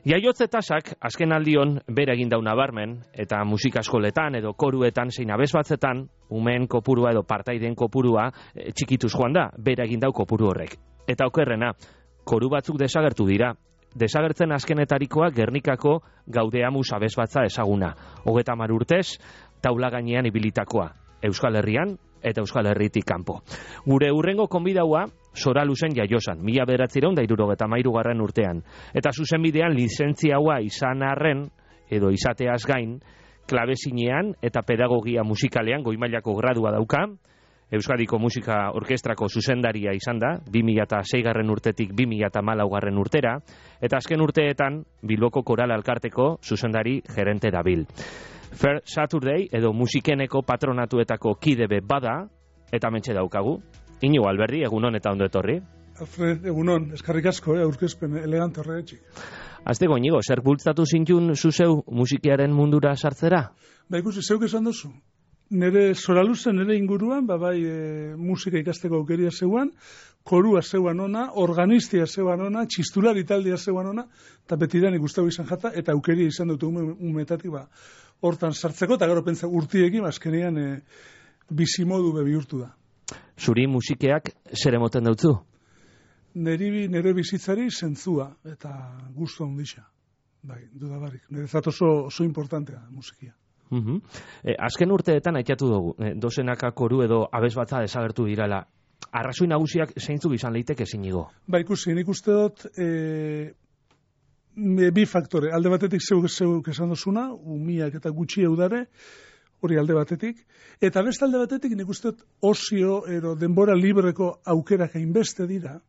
Jaiotze tasak azken aldion bere egin dau nabarmen, eta musika eskoletan edo koruetan zein abesbatzetan, umeen kopurua edo partaideen kopurua txikituz joan da, bere egin dau kopuru horrek. Eta okerrena, koru batzuk desagertu dira. Desagertzen azkenetarikoa Gernikako Gaudeamus abesbatza ezaguna. 30 urtez, taula gainean ibilitakoa. Euskal Herrian eta Euskal Herritik kanpo. Gure hurrengo konbidaua Soraluzen jaiosan, 1973 urtean. Eta zuzenbidean lizentziaua izan arren, edo izateaz gain, klabezinean eta pedagogia musikalean goi-mailako gradua dauka, Euskadiko Musika Orkestrako zuzendaria izan da, 2006 urtetik 2014 urtera, eta azken urteetan Bilboko Koral Alkarteko zuzendari gerente dabil. Fair Saturday edo musikeneko patronatuetako kidebe bada, eta mentxe daukagu. Inigo Alberdi, egunon eta ondo etorri. Alfred, egunon, eskarrik asko, aurkezpen elegante horretxik. Azteko, Inigo, zer bultzatu zintun zuzeu musikiaren mundura sartzera? Ba, ikusi, zeuk esan duzu. Nere Soraluzen, nere inguruan, musika ikasteko aukeria zeuan, korua zeuan ona, organistia zeuan ona, txistulari taldea zeuan ona, eta betidanik guztago izan jata, eta aukeria izan dute umetatik, hortan sartzeko, eta gero pentsa urtiekin, azkenean bizimodu bihurtu da. Zuri musikeak zer emoten dautzu? Nere bizitzari zentzua, eta gustu handixa. Bai, dudabarik. Nerezat oso importantea musikia. Azken urteetan aitatu dugu, dozenaka koru edo abesbatza desagertu dirala. Arrazoi nagusiak zeintzuk izan leiteke Inigo? Ba, ikusi, nik uste dut bi faktore. Alde batetik zeuk esan dozuna, umiak eta gutxi eudare, hori alde batetik. Eta beste alde batetik nik uste dut osio ero denbora libreko aukerak hainbeste dira,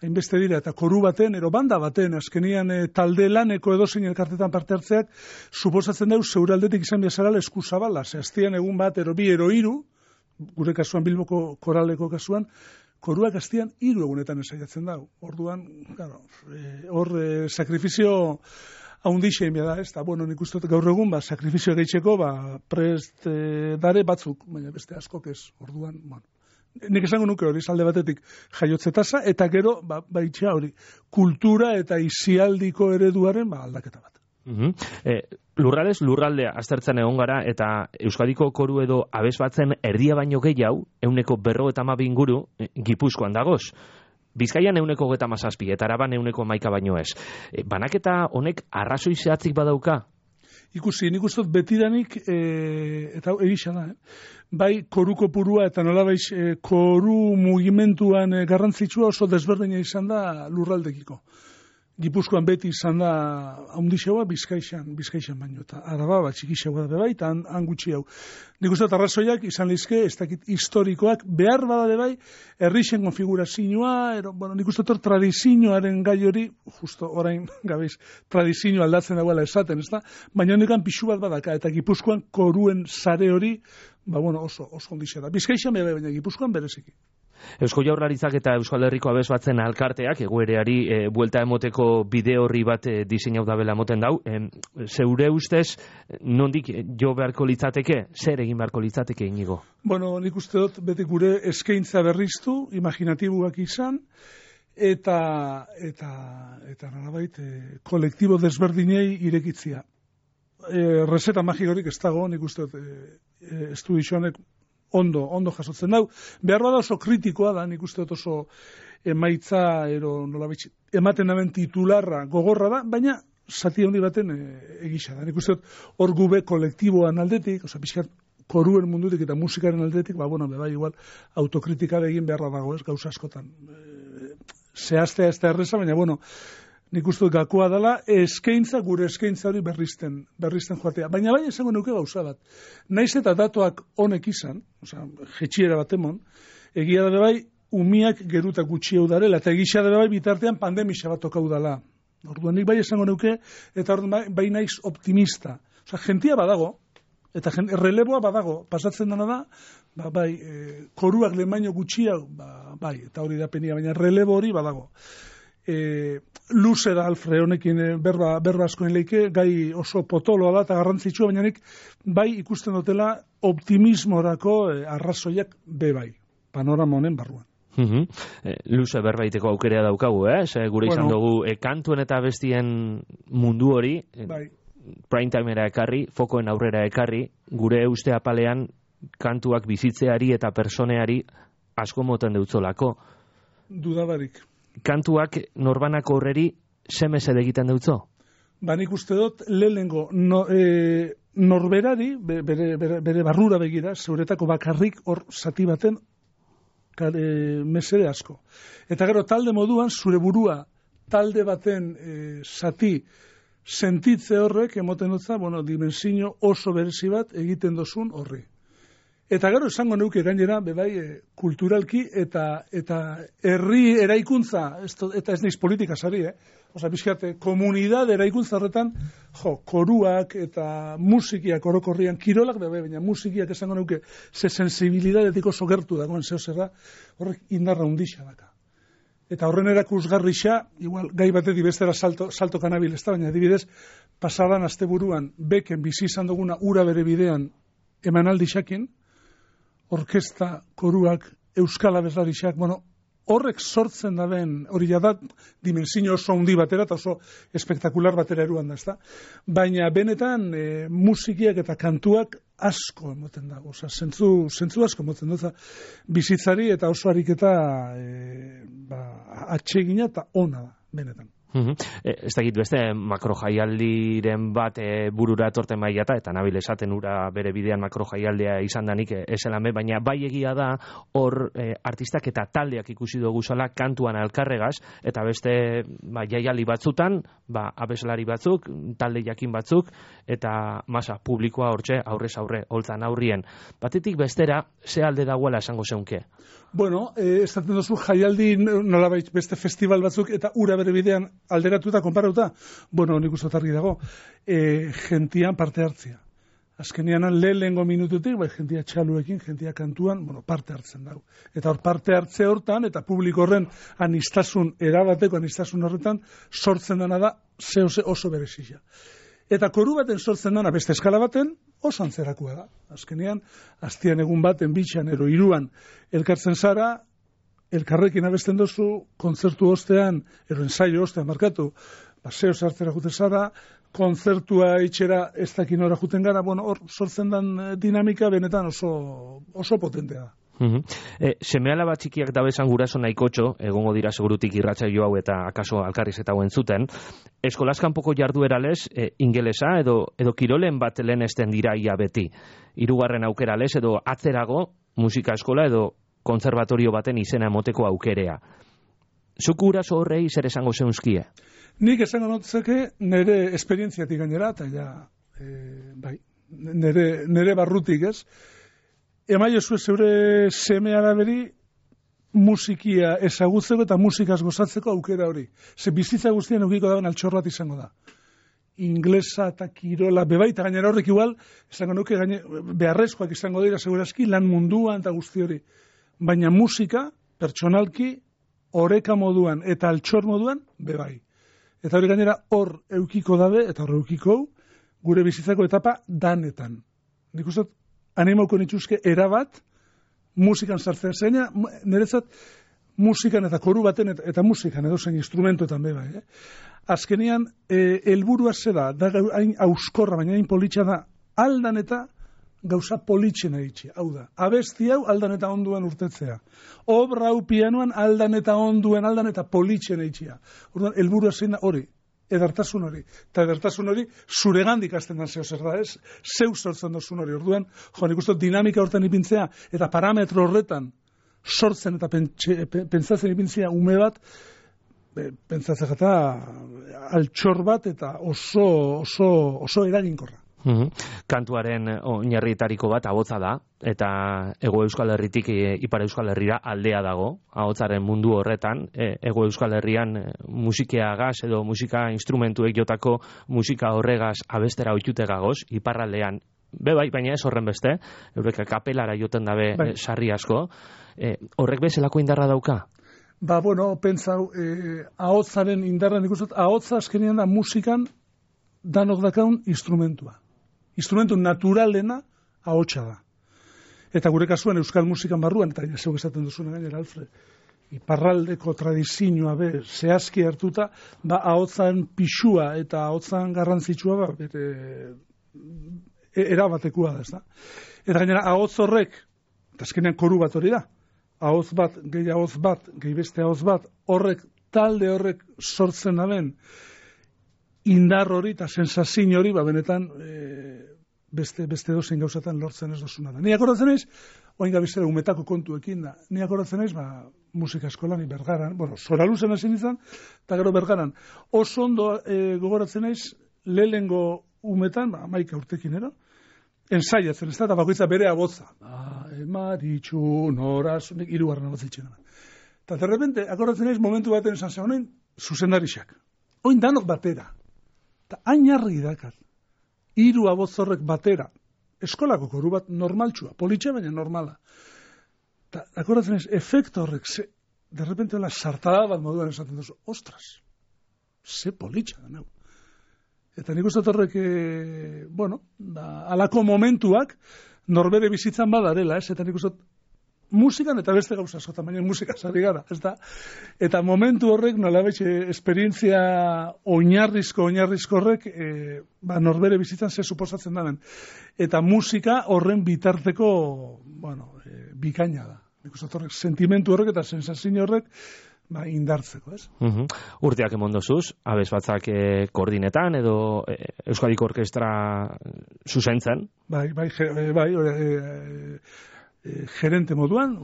eta koru baten, ero banda baten, azkenian talde laneko edozein elkartetan parte hartzeak, suposatzen dau zeure aldetik izan biazarala eskuzabala, zehaztian egun bat, ero bi, ero hiru, gure kasuan Bilboko koraleko kasuan, koruak aztian 3 egunetan esaiatzen dau. Orduan, hor sakrifizio haundixein beda, ez da, nik uste gaur egun, sakrifizio gehitzeko, prest dare batzuk, baina beste askok ez, orduan, nik esango nuke hori, alde batetik jaiotze tasa, eta gero, baitxea hori, kultura eta isialdiko ereduaren aldaketa bat. Lurraldez, lurraldea aztertzen egon gara, eta Euskadiko koru edo abesbatzen erdia baino gehiago, 150 inguru, Gipuzkoan dagoz. Bizkaian 137, eta Araban 111 baino ez. Banaketa honek arrazoi zehatzik badauka? Ikusi, nik uste betidanik, eta egisa da, bai koruko purua eta nolabaiz koru mugimenduan garrantzitsua oso desberdina izan da lurraldekiko. Gipuzkoan beti izan da haundixeua bizkaixan baino, eta Araba txikixeua da bai, eta han gutxi hau. Nik uste arrazoiak izan lehizke, ez dakit historikoak, behar bada bai, herrixen konfigurazioa, nik uste tradizioaren gai hori, justo orain gabeiz, tradizio aldatzen dagoela esaten, ez da? Baina honekan pixu bat badaka, eta Gipuzkoan koruen sare hori, oso ondixea da. Bizkaixan baina Gipuzkoan bereziki. Eusko Jaurlaritzak eta Euskal Herriko abesbatzen alkarteak egoereari buelta emoteko bide horri bat diseinau dabela emoten dau. Zeure ustez, nondik jo beharko litzateke? Zer egin beharko litzateke, Inigo? Nik uste dut beti gure eskaintza berriztu, imaginatibuak izan, eta nolabait kolektibo desberdinei irekitzia. Reseta magikorik ez dago, nik uste dut estudizionek ondo jasotzen dau. Behar bada oso kritikoa da, nik uste dut oso emaitza, ematen daben titularra gogorra da, baina zati handi baten egisa da. Nik uste dut hor gube kolektiboan aldetik, pixkat koruen mundutik eta musikaren aldetik, bai igual autokritika egin beharra dago, ez gauza askotan. Zehaztea ez da erreza, baina nik uste dut gakoa dela, gure eskaintza hori berrizten joatea. Baina bai esango nuke gauza bat. Naiz eta datuak honek izan, jetxiera bat emon, egia da bai, umiak geruta gutxi hau darela, eta egisa da bai bitartean pandemia bat okau dela. Orduan nik bai esango nuke, eta bai naiz optimista. Jentia badago, eta releboa badago, pasatzen dena da, koruak lehen baino gutxi hau, eta hori da penia, baina relebo hori badago. Luze da Alfred honekin berba askoen leike, gai oso potoloa da eta garrantzitsua, baina nik bai ikusten dutela optimismorako arrazoiak bai, panorama honen barruan. Luze berbaiteko aukerea daukagu, gure izan dugu kantuen eta bestien mundu hori, prime timera ekarri, fokoen aurrera ekarri, gure uste apalean kantuak bizitzeari eta personeari asko moten deutzolako. Dudabarik. Kantuak norbanako horreri semesed egiten deutzo? Nik uste dut, lehenengo norberari, bere barrura begira, zeuretako bakarrik hor zati baten mesede asko. Eta gero talde moduan, zure burua talde baten zati sentitze horrek, emoten dutza, dimensio oso berezi bat egiten dozun horri. Eta gero esango neuke gainera, bebai, kulturalki eta herri eraikuntza, eta ez naiz politika sari, bizkate, komunidad eraikuntza horretan, koruak eta musikiak orokorrian, kirolak bebai, baina musikiak esango neuke, ze sensibilidadetik oso gertu dagoen zehozerra, horrek indarra hundixa daka. Eta horren erakusgarrixa, igual, gai batetik bestera salto kanabil, ez da, baina adibidez, pasadan asteburuan, beken bizi izan duguna ura bere bidean emanaldi xakin, orkesta, koruak, euskal abeslariak, horrek sortzen da ben, hori da dimensio oso handi batera eta oso espektakular batera eruan da, ezta? Baina benetan musikiak eta kantuak asko emoten dago, zentzu asko emoten dut, bizitzari eta oso ariketa atsegina eta ona da, benetan. Ez dakit beste makrojaialdiren bat burura etorten bai eta nabil esaten ura bere bidean makrojaialdia izan danik eselame, baina bai egia da hor artistak eta taldeak ikusi dugu zala kantuan alkarregaz, eta beste jaialdi batzutan, abeslari batzuk, talde jakin batzuk, eta masa publikoa hortxe aurrez aurre, holtzan aurrien. Batetik bestera, ze alde dagoela esango zeunke? Estaten duzu jaialdi nolabait beste festival batzuk eta ura bere bidean alderatu eta konparatuta. Nik uste argi dago, gentian parte hartzea. Azkenean lehengo minututik, jentia txaluekin, jentia kantuan, parte hartzen dago. Eta hor parte hartze hortan, eta publiko horren anistasun, erabateko anistasun horretan, sortzen dena da, zehose oso berezia. Eta koru baten sortzen dena, beste eskala baten, oso antzerakoa da. Azkenean, aztian egun baten, bitxan, ero iruan, elkartzen zara, elkarrekin abesten dozu, kontzertu ostean, ero ensaio ostean markatu, zeo zartzera juten zara, kontzertua itxera ez dakin ora juten gara, hor sortzen den dinamika benetan oso potentea da. Seme-alaba txikiak dabezan guraso nahikotxo, egongo dira segurutik irratsaio hau eta akaso alkarriz eta hauen zuten, eskolazkanpoko jardueralez, ingelesa edo kirolen bat lehenesten dira ia beti. Hirugarren aukeralez edo atzerago, musika eskola edo kontzervatorio baten izena emoteko aukerea. Zuk guraso horrei zer esango zeunzkie? Nik esango notzeke nire esperientziatik gainera, eta nire barrutik ez, emaiozu zeure seme araberi musikia ezagutzeko eta musikaz gozatzeko aukera hori. Ze bizitza guztien eukiko dagoen altxor bat izango da. Inglesa eta kirola, bebaita gainera horrek igual, esango nuke beharrezkoak izango dira segurazki lan munduan eta guzti hori. Baina musika, pertsonalki, oreka moduan eta altxor moduan, bebai. Eta hori gainera hor eukiko dabe, eta hor eukiko gure bizitzako etapa danetan. Nik uste animauko nituzke erabat, musikan sartzea zeina, niretzat musikan eta koru baten eta musikan edo zein instrumentoetan bebai. Azkenean, helburua zera, da hain auskorra, baina hain politxa da, aldan eta gauza politxena itxia. Hau da, abesti hau aldan eta onduen urtetzea. Obra hau pianoan aldan eta onduen, aldan eta politxena itxia. Orduan, helburua zein da hori. Edertasun hori. Eta edertasun hori zuregandik azten dan zeo zer da, ez? Zeu sortzen dozun hori. Orduan, nik uste dinamika hortan ipintzea, eta parametro horretan sortzen eta pentsatzen ipintzea ume bat, pentsatzen eta altxor bat eta oso eraginkorra. Kantuaren oinarrietariko bat ahotsa da, eta Hego Euskal Herritik Ipar Euskal Herrira aldea dago, ahotsaren mundu horretan, Hego Euskal Herrian musikeagaz edo musika instrumentuek jotako musika horregaz abestera ohitute gagoz, iparraldean, bai, baina ez horren beste, eurek kapelara joten dabe sarri asko, horrek bezalako indarra dauka? Pentsau, ahotsaren indarra nik uste, ahotsa azkenean da musikan danok dakaun instrumentua. Instrumentu naturalena ahotsa da. Eta gure kasuan euskal musikan barruan, eta zeuk esaten duzuna gainera, Alfred, iparraldeko tradizioa zehazki hartuta, ahotzan pixua eta ahotzan garrantzitsua erabatekua da, ezta? Eta gainera, ahotz horrek, eta azkenean koru bat hori da, ahotz bat, gehi beste ahotz bat, talde horrek sortzen daben, indar hori eta sensazio hori, benetan, beste dozein gauzatan lortzen ez dozuna da. Ni akordatzen naiz, oain gabizera umetako kontuekin da, ni akordatzen naiz, musika eskolan, Bergaran, Zoraluzen hasi nintzen, eta gero Bergaran. Oso ondo gogoratzen naiz, lehengo umetan, 11 urtekin ero, ensaiatzen, ez da, eta bakoitza bere abotza. Maritxu, noraz, hirugarren abotzitxen. Eta derrepente, akordatzen naiz, momentu baten esan zen honen, zuzendarixak. Oin danok batera. Eta hain argi dakat. 3 abotzorrek batera. Eskolako koru bat normaltsua, politxe baina normala. Eta akordatzen naiz, efektu horrek, derrepente hola sartada bat moduan esaten duzu, ostras, ze politxa da neu. Eta nik uste horrek, alako momentuak norbere bizitzan badarela, ez? Eta nik uste musikan eta beste gauza askotan, baina musika sari gara, ez da? Eta momentu horrek, nolabait, esperientzia oinarrizko horrek, norbere bizitzan ze suposatzen daren. Eta musika horren bitarteko, bikaina da. Nik uste horrek, sentimentu horrek eta sensazio horrek, indartzeko, ez? Urteak emondozuz, abesbatzak koordinetan edo Euskadiko Orkestra zuzentzen? Bai, gerente moduan,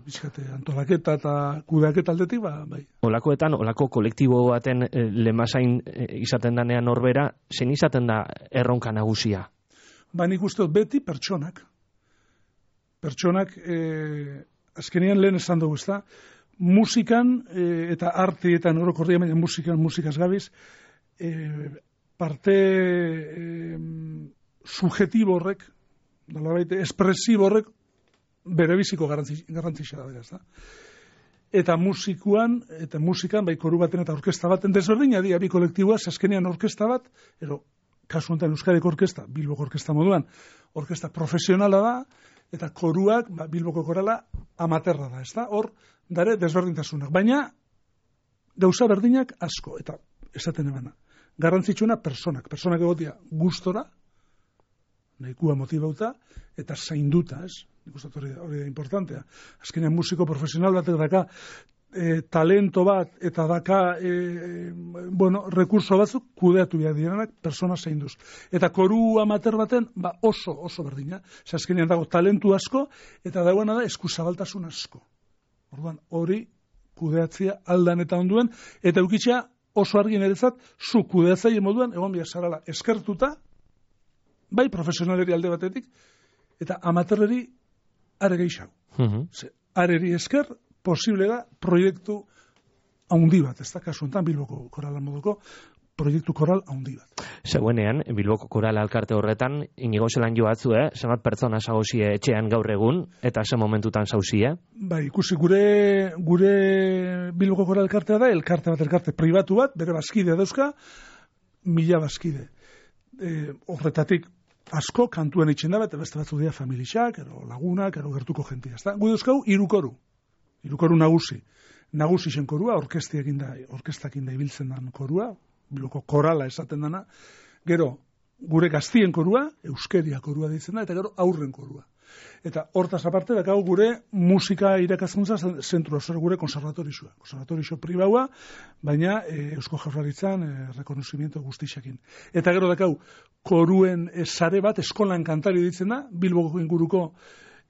bizkate antolaketa eta kudeaketa aldetik, bai. Olako kolektibo baten lemazain izaten danean norbera, zen izaten da erronka nagusia? Nik uste beti pertsonak. Pertsonak, azkenean lehen esan dugu, ez da, musikan eta arteetan orokorria, baina musikaz gabiz, parte subjetibo horrek, espresibo horrek, bere biziko garrantzia da, ez da. Eta musikan, bai koru baten eta orkesta baten, desberdina dira bi kolektiboa, azkenean orkesta bat, kasu honetan Euskadiko Orkesta, Bilboko Orkesta moduan, orkesta profesionala da, eta koruak, Bilboko korala, amaterra da, ez da? Hor, dare desberdintasunak. Baina, gauza berdinak asko, eta esaten ebana. Garrantzitsuna personak egotia gustora, nahikua motibauta, eta zainduta, ez? Nik uste hori da importantea. Azkenean musiko profesional batek daka talento bat eta daka rekurso batzuk kudeatu behar direnak persona zainduz. Eta koru amater baten oso berdina. Azkenean dago talentu asko eta dagoena da eskuzabaltasun asko. Orduan hori kudeatzea aldan eta onduen eta eukitzea oso argi niretzat zu kudeatzaile moduan egon behar zarala eskertuta bai profesionaleri alde batetik eta amaterreri are gehiago. Areri esker posible da proiektu haundi bat, ez da kasu enten Bilboko korala moduko proiektu koral haundi bat. Zegoenean, Bilboko koral alkarte horretan, inigo zelan joatzu, zenbat pertsona zauzie etxean gaur egun, eta ze momentutan zauzie? Bai, ikusi gure Bilboko koral alkartea da, elkarte pribatu bat, bere bazkide dauzka, 1000 bazkide. Horretatik asko kantuen itxen da, eta beste batzu dira familixak, lagunak, gertuko jentia. Gu dauzkau, 3 koru. 3 koru nagusi. Nagusi zen korua, orkestakin da ibiltzen dan korua, Bilboko korala esaten dana. Gero, gure gaztien korua, euskeria korua ditzen da, eta gero aurren korua. Eta hortaz aparte, dakau gure musika irakaskuntza zentrua, gure konservatorixo pribaua, baina Eusko Jaurlaritzan rekonozimiento guztixakin. Eta gero dakau, koruen sare bat, eskolan kantari ditzen da, Bilboko inguruko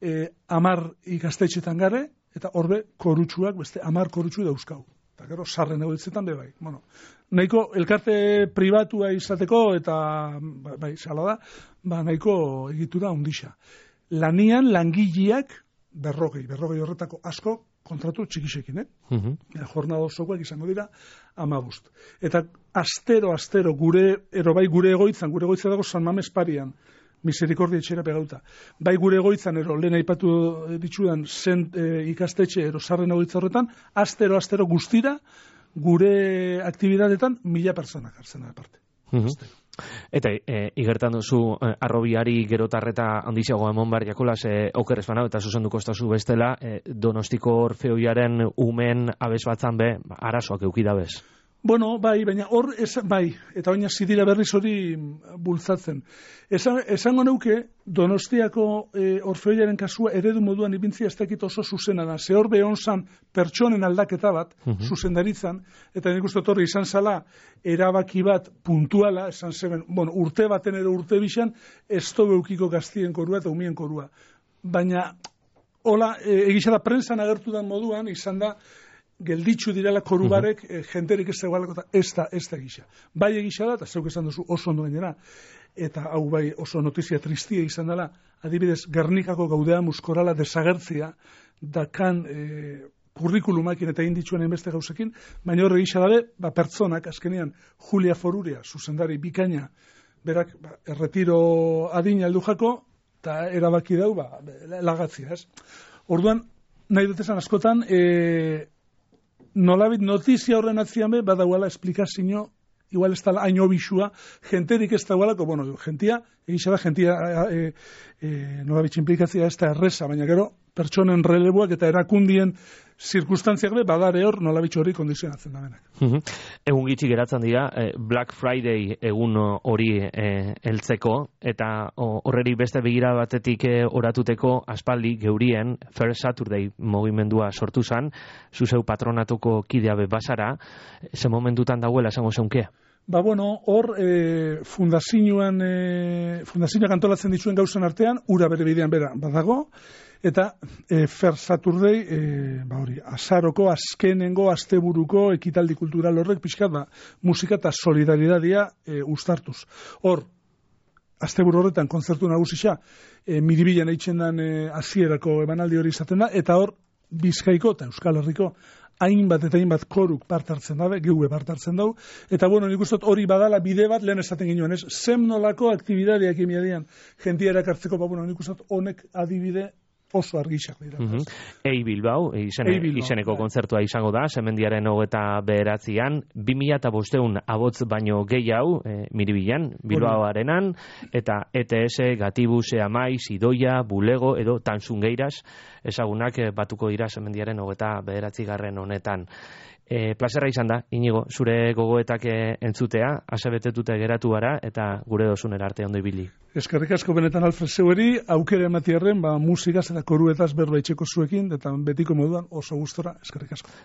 10 ikastetxetan gare, eta horbe korutsuak, beste 10 korutsu dauzkau. Eta gero, sarren egotzetan bai. Nahiko elkarte pribatua izateko, eta bai, sala da, nahiko egitura ondixa. Lanian, langileak, 40 horretako asko, kontratu txikixekin, jornada osokoak izango dira 15. Eta astero, gure egoitzan dago San Mames Parian, Misericordia etxera pegauta. Bai gure egoitzan, lehen aipatu ditzudan ikastetxe sarren egoitza horretan, astero guztira, gure aktibidadetan 1000 pertsonak hartzen da parte. Eta igertan duzu arrobiari gerotarreta handizago emon behar jakola, oker ez banau eta zuzenduko estazu bestela, Donostiko Orfeoiaren umen abez batzan be, arazoak eukidabez. Bueno, bai, baina hor, bai, eta baina zidira berriz hori bultzatzen. Esango neuke, Donostiako Orfeoiaren kasua eredu moduan ibintzia ez dakit oso zuzena da. Ze hor behon zan pertsonen aldaketa bat, zuzendaritzan, eta nik uste torri izan zala, erabaki bat puntuala, esan zeben, bueno, urte baten edo urte bixan, ez beukiko gaztien korua eta umien korua. Baina, hola, egisa da prensan agertu dan moduan, izan da, gelditzu direla korubarek, jenterik ez dagoelako, ez da gisa. Bai egisa da, eta zeuk esan duzu oso ondo gainera, eta hau bai oso notizia tristia izan dela, adibidez, Gernikako gaudea muskorala desagertzia, dakan kurrikulumakin eta inditxuen enbeste gauzekin, baina horre gisa dabe, pertsonak, azkenean, Julia Foruria, zuzendari bikaina, berak, erretiro adina aldu jako, eta erabaki dau, lagatzia, ez? Orduan, nahi dut esan askotan, nolabit notizia horren atzian be, badauala esplikazio, igual ez da haino bisua, jenterik ez dagoelako, bueno, jentia, egisa da, jentia nolabit implikazia ez da erresa, baina gero, pertsonen releboak eta erakundien zirkustantziak be, badare hor nolabit hori kondizionatzen da benak. Egun gitxi geratzen dira, Black Friday egun hori heltzeko, eta horreri beste begira batetik oratuteko aspaldi geurien First Saturday mugimendua sortu zan, zuzeu patronatuko kidea be basara, ze momentutan dauela esango zeunke? Bueno, hor fundazioak antolatzen dituen gauzan artean, ura bere bidean bera badago, eta First Saturday, azaroko, azkenengo, asteburuko ekitaldi kultural horrek pixkat, musika eta solidaridadia uztartuz. Hor, asteburu horretan kontzertu nagusisa, Miribilan eitzen dan hasierako emanaldi hori izaten da, eta hor, Bizkaiko eta Euskal Herriko hainbat eta hainbat koruk part hartzen dabe, geue part hartzen dau, eta bueno, nik uste hori badala bide bat lehen esaten ginoen, ez? Zem nolako aktibidadeak emiadian jentia erakartzeko, nik uste honek adibide oso argixak dira. Ei Bilbao, izeneko kontzertua izango da, Semendiaren 29an, 2500 abotz baino gehiago, Miribilan, Bilbao arenan, eta ETS, Gatibus, Amaiz, Idoia, Bulego, edo Tanzungeiras, ezagunak batuko dira Semendiaren 29. honetan. Plazerra izan da, Inigo, zure gogoetak entzutea, asebetetute geratu gara, eta gure dozunera arte ondo ibili. Eskerrik asko benetan Alfred zeueri, aukera ematiarren, musikaz eta koruetaz berba itxeko zuekin, eta betiko moduan oso gustora, eskerrik asko.